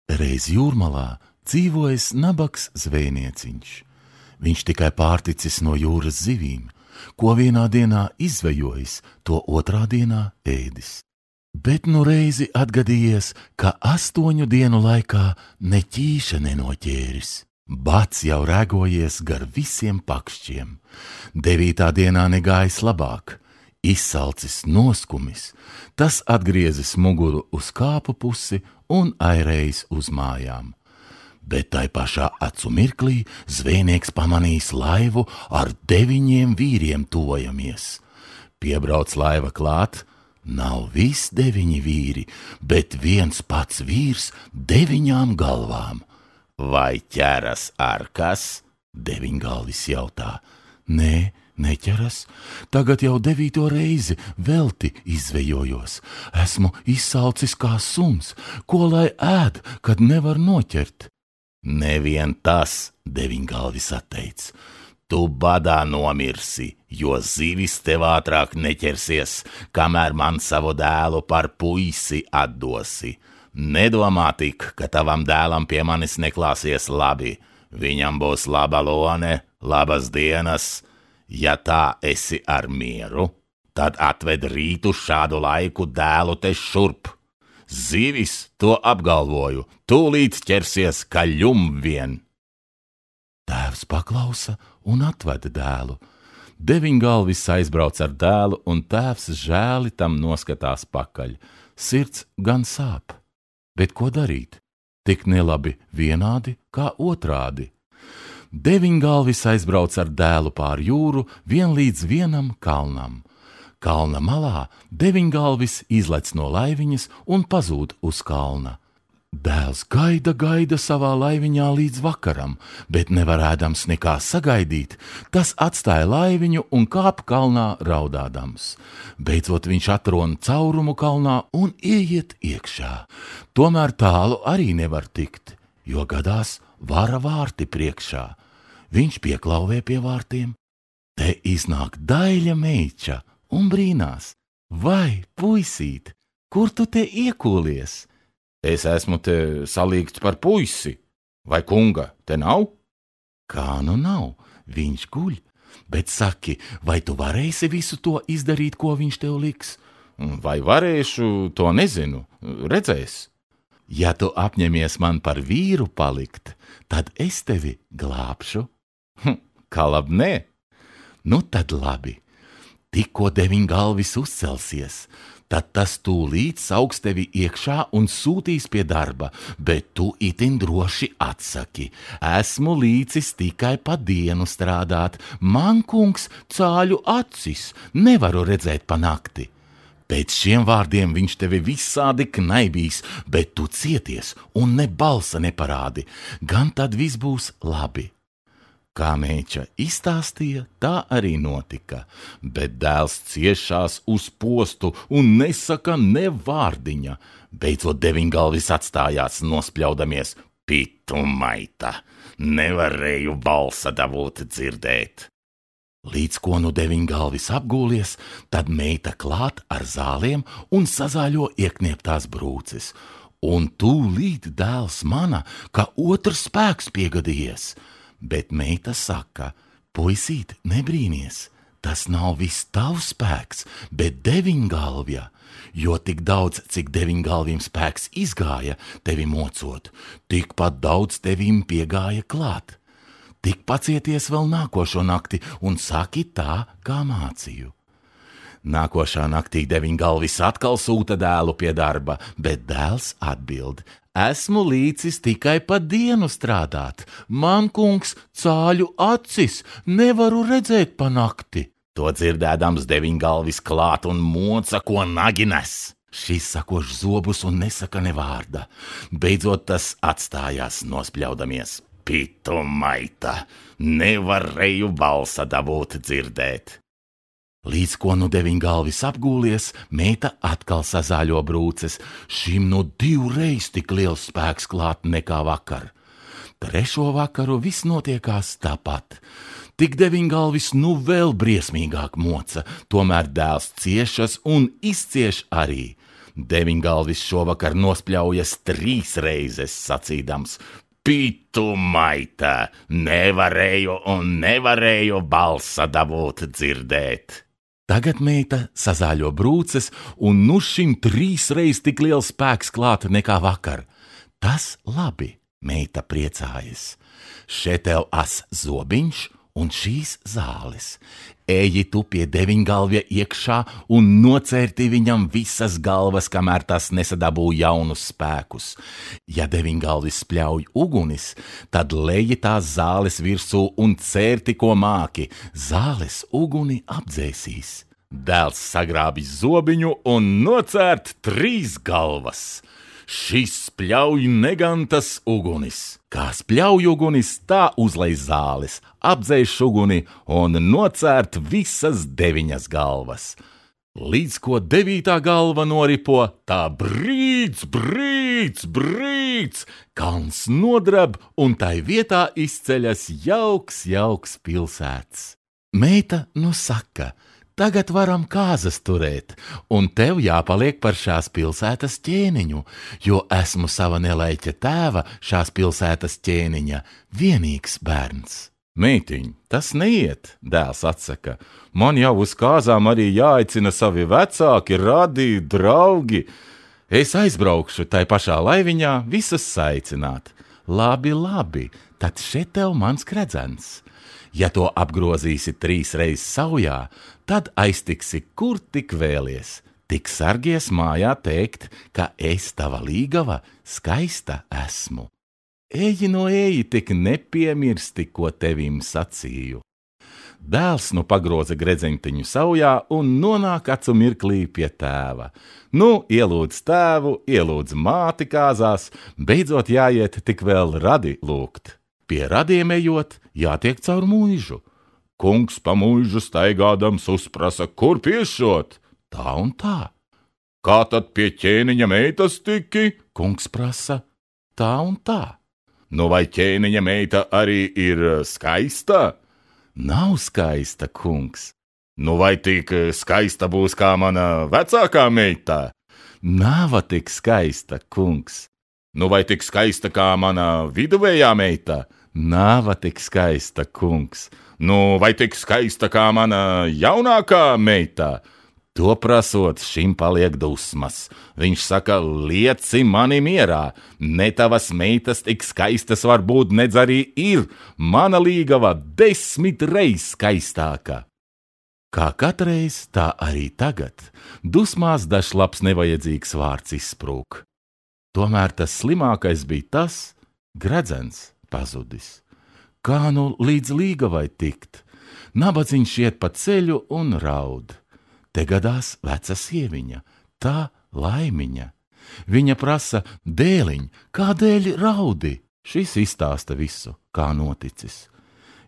Reiz jūrmalā dzīvojas nabags zvejnieciņš. Viņš tikai pārticis no jūras zivīm, ko vienā dienā izvejojis, to otrā dienā ēdis. Bet nu reizi atgadījies, ka 8 dienu laikā ne ķīša nenoķēris. Bats jau rēgojies gar visiem pakšķiem. 9. dienā negājis labāk. Izsalcis noskumis, tas atgriezis muguru uz kāpu pusi un airējis uz mājām. Bet tai pašā acu mirklī zvejnieks pamanīs laivu ar 9 vīriem tuvojamies. Piebrauc laiva klāt, nav viss 9 vīri, bet viens pats vīrs 9 galvām. Vai ķeras ar kas? 9galvis jautā. Nē, neķeras, tagad jau 9. reizi velti izvejojos. Esmu izsalcis kā suns, ko lai ēd, kad nevar noķert. Nevien tas, 9galvis atteic. Tu badā nomirsi, jo zivis tev ātrāk neķersies, kamēr man savu dēlu par puisi atdosi. Nedomā tik, ka tavam dēlam pie manis neklāsies labi. Viņam būs laba lone, labas dienas. Ja tā esi ar mieru, tad atved rītu šādu laiku dēlu te šurp. Zivis, to apgalvoju, tūlīt ķersies kaļum vien. Tēvs paklausa un atveda dēlu. 9galvis aizbrauc ar dēlu, un tēvs žēli tam noskatās pakaļ. Sirds gan sāp, bet ko darīt? Tik nelabi vienādi kā otrādi. 9galvis aizbrauc ar dēlu pār jūru vien līdz vienam kalnam. Kalna malā 9galvis izlec no laiviņas un pazūd uz kalna. Dēls gaida savā laiviņā līdz vakaram, bet nevarēdams nekā sagaidīt, tas atstāja laiviņu un kāp kalnā raudādams. Beidzot viņš atrona caurumu kalnā un ieiet iekšā. Tomēr tālu arī nevar tikt, jo gadās vara vārti priekšā. Viņš pieklauvē pie vārtiem. Te iznāk daļa meiča un brīnās. Vai, puisīt, kur tu te iekūlies? Es esmu te salīgts par puisi. Vai kunga te nav? Kā nu nav, viņš guļ. Bet saki, vai tu varēsi visu to izdarīt, ko viņš tev liks? Vai varēšu, to nezinu, redzēs. Ja tu apņemies man par vīru palikt, tad es tevi glābšu. Kā labi, nē? Nu tad labi. Tikko 9galvis uzcelsies, tad tas tūlīt sauks tevi iekšā un sūtīs pie darba, bet tu itin droši atsaki. Esmu līdzis tikai pa dienu strādāt. Man, kungs, cāļu acis, nevaru redzēt pa nakti. Pēc šiem vārdiem viņš tevi visādi knaibīs, bet tu cieties un ne balsa neparādi, gan tad viss būs labi. Kā meiča izstāstīja, tā arī notika, bet dēls ciešās uz postu un nesaka ne vārdiņa. Beidzot 9galvis atstājās nospļaudamies. Pitu maita, nevarēju balsa dabūt dzirdēt. Līdz ko nu 9galvis apgūlies, tad meita klāt ar zāliem un sazāļo ieknieptās brūces. Un tūlīt dēls mana, ka otrs spēks piegadījies. Bet meita saka, puisīt, nebrīnies, tas nav viss tavs spēks, bet 9galvja, jo tik daudz, cik 9galviem spēks izgāja tevi mocot, tikpat daudz tevim piegāja klāt. Tik pacieties vēl nākošo nakti un saki tā, kā mācīju. Nākošā naktī 9galvis atkal sūta dēlu pie darba, bet dēls atbild. Esmu līdzis tikai pa dienu strādāt. Man, kungs, cāļu acis, nevaru redzēt pa nakti. To dzirdēdams 9galvis klāt un moca, ko nagi nes. Šis sakoš zobus un nesaka ne vārda. Beidzot tas atstājās nospļaudamies. Pitu maita, nevarēju balsa dabūt dzirdēt. Līdz ko nu 9galvis apgūlies, meita atkal sazāļo brūces. Šim nu 2 reiz tik liels spēks klāt nekā vakar. 3. vakaru viss notiekās tāpat. Tik 9galvis nu vēl briesmīgāk moca, tomēr dēls ciešas un izcieš arī. Deviņgalvis šovakar nospļaujas 3 reizes, sacīdams: Pitu maitā, nevarēju balsa dabūt dzirdēt. Tagad meita sazāļo brūces, un nu šim 3 reiz tik liels spēks klāt nekā vakar. Tas labi, meita priecājas. Še tev as zobiņš un šīs zāles. Eji tu pie deviņgalvja iekšā un nocērti viņam visas galvas, kamēr tas nesadabū jaunus spēkus. Ja deviņgalvis spļauj ugunis, tad leji tās zāles virsū un cērti, ko māki. Zāles uguni apdzēsīs. Dēls sagrābis zobiņu un nocērt 3 galvas. Šis spļauj negantas ugunis. Kā spļauj ugunis, tā uzlej zāles, apdzēš uguni un nocērt visas 9 galvas. Līdz ko 9. galva noripo, tā brīc, kalns nodrab un tai vietā izceļas jauks pilsēts. Meita nu saka: Tagad varam kāzas turēt, un tev jāpaliek par šās pilsētas ķēniņu, jo esmu sava nelaiķa tēva, šās pilsētas ķēniņa, vienīgs bērns. Meitiņ, tas neiet, dēls atsaka. Man jau uz kāzām arī jāaicina savi vecāki, radi, draugi. Es aizbraukšu tai pašā laiviņā visus saicināt. Labi, tad šeit tev mans kredzens. Ja to apgrozīsi 3 reizes saujā, tad aiztiksi, kur tik vēlies. Tik sargies mājā teikt, ka es tava līgava skaista esmu. Eji, tik nepiemirsti, ko tevim sacīju. Dēls nu pagroza gredzeņtiņu saujā un nonāk acu mirklī pie tēva. Nu, ielūdz tēvu, ielūdz māti kāzās, beidzot jāiet tik vēl radi lūgt. Pie radiem ejot, jātiek caur muižu. Kungs pa muižu staigādams uzprasa, kur piešot? Tā un tā. Kā tad pie ķēniņa meitas tiki? Kungs prasa. Tā un tā. Nu vai ķēniņa meita arī ir skaista? Nav skaista, kungs. Nu vai tik skaista būs kā mana vecākā meita? Nav tik skaista, kungs. Nu vai tik skaista kā mana viduvējā meita? Nav tik skaista, kungs. Nu vai tik skaista kā mana jaunākā meita? To prasot, šim paliek dusmas. Viņš saka, lieci mani mierā. Ne tavas meitas tik skaistas var būt, nedz arī ir. Mana līgava 10 reiz skaistāka. Kā katreiz, tā arī tagad. Dusmās dažs labs nevajadzīgs vārds izsprūk. Tomēr tas slimākais bija tas, gredzens pazudis. Kā nu līdz līgavai tikt? Nabadzīņš iet pa ceļu un raud. Te gadās veca sieviņa, tā Laimiņa. Viņa prasa, dēliņ, kādēļ raudi? Šis izstāsta visu, kā noticis.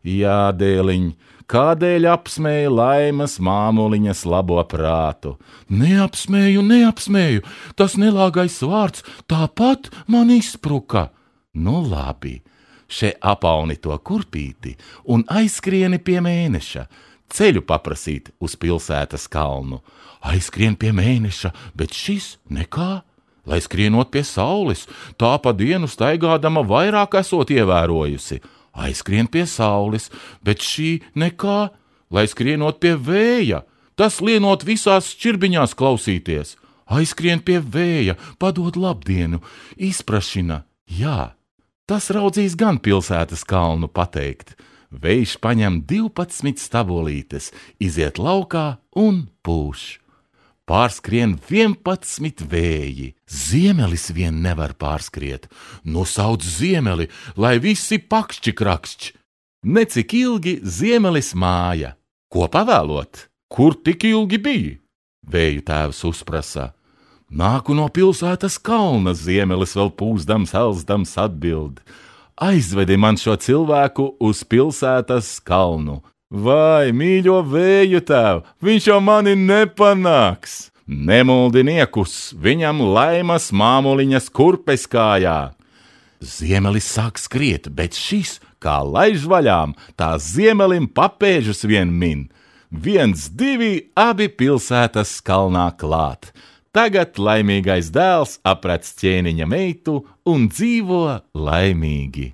Jā, dēliņ, kādēļ apsmēja Laimas māmuliņas labo prātu? Neapsmēju, tas nelāgais vārds tāpat man izspruka. Nu labi, še apauni to kurpīti un aizskrieni pie mēneša, ceļu paprasīt uz pilsētas kalnu. Aizskrien pie mēneša, bet šis nekā. Lai skrienot pie saules, tā pa dienu staigādama vairāk esot ievērojusi. Aizskrien pie saules, bet šī nekā. Lai skrienot pie vēja, tas lienot visās šķirbiņās klausīties. Aizskrien pie vēja, padod labdienu, izprašina. Jā, tas raudzīs gan pilsētas kalnu pateikt. Vējš paņem 12 stabolītes, iziet laukā un pūš. Pārskrien 11 vēji. Ziemelis vien nevar pārskriet. Nu sauc ziemeli, lai visi pakšķi krakšķi. Necik ilgi ziemelis māja. Ko pavēlot? Kur tik ilgi bija? Vēju tēvs uzprasa. Nāku no pilsētas kalna, ziemelis vēl pūzdams, elzdams atbild. Aizvedi man šo cilvēku uz pilsētas kalnu. Vai, mīļo vēju tēv, viņš jau mani nepanāks. Nemuldiniekus, viņam Laimas māmuliņas kurpes kājā. Ziemelis sāk skriet, bet šis, kā laiž vaļām, tā ziemelim papēžus vien min. 1, 2, abi pilsētas kalnā klāt. Tagad laimīgais dēls aprec ķēniņa meitu un dzīvo laimīgi.